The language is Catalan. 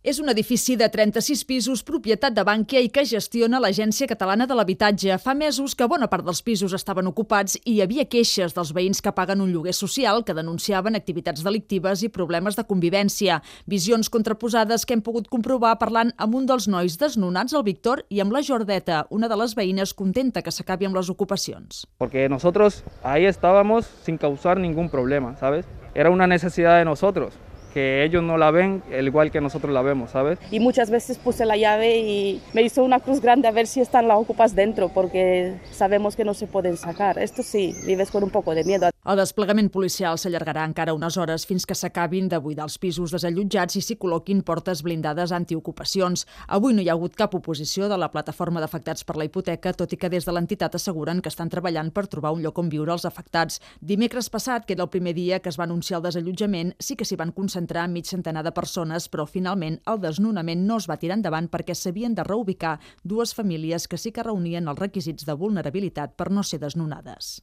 És un edifici de 36 pisos, propietat de Bankia i que gestiona l'Agència Catalana de l'Habitatge. Fa mesos que bona part dels pisos estaven ocupats i hi havia queixes dels veïns que paguen un lloguer social que denunciaven activitats delictives i problemes de convivència. Visions contraposades que hem pogut comprovar parlant amb un dels nois desnonats, el Víctor, i amb la Jordeta, una de les veïnes contenta que s'acabi amb les ocupacions. Porque nosotros ahí estábamos sin causar ningún problema, ¿sabes? Era una necesidad de nosotros, que ellos no la ven igual que nosotros la vemos, ¿sabes? Y muchas veces puse la llave y me hizo una cruz grande a ver si están las ocupas dentro, porque sabemos que no se pueden sacar. Esto sí, vives con un poco de miedo. El desplegament policial s'allargarà encara unes hores fins que s'acabin de buidar els pisos desallotjats i s'hi col·loquin portes blindades antiocupacions. Avui no hi ha hagut cap oposició de la plataforma d'afectats per la hipoteca, tot i que des de l'entitat asseguren que estan treballant per trobar un lloc on viure els afectats. Dimecres passat, que era el primer dia que es va anunciar el desallotjament, sí que s'hi van concentrar mig centenar de persones, però finalment el desnonament no es va tirar endavant perquè s'havien de reubicar dues famílies que sí que reunien els requisits de vulnerabilitat per no ser desnonades.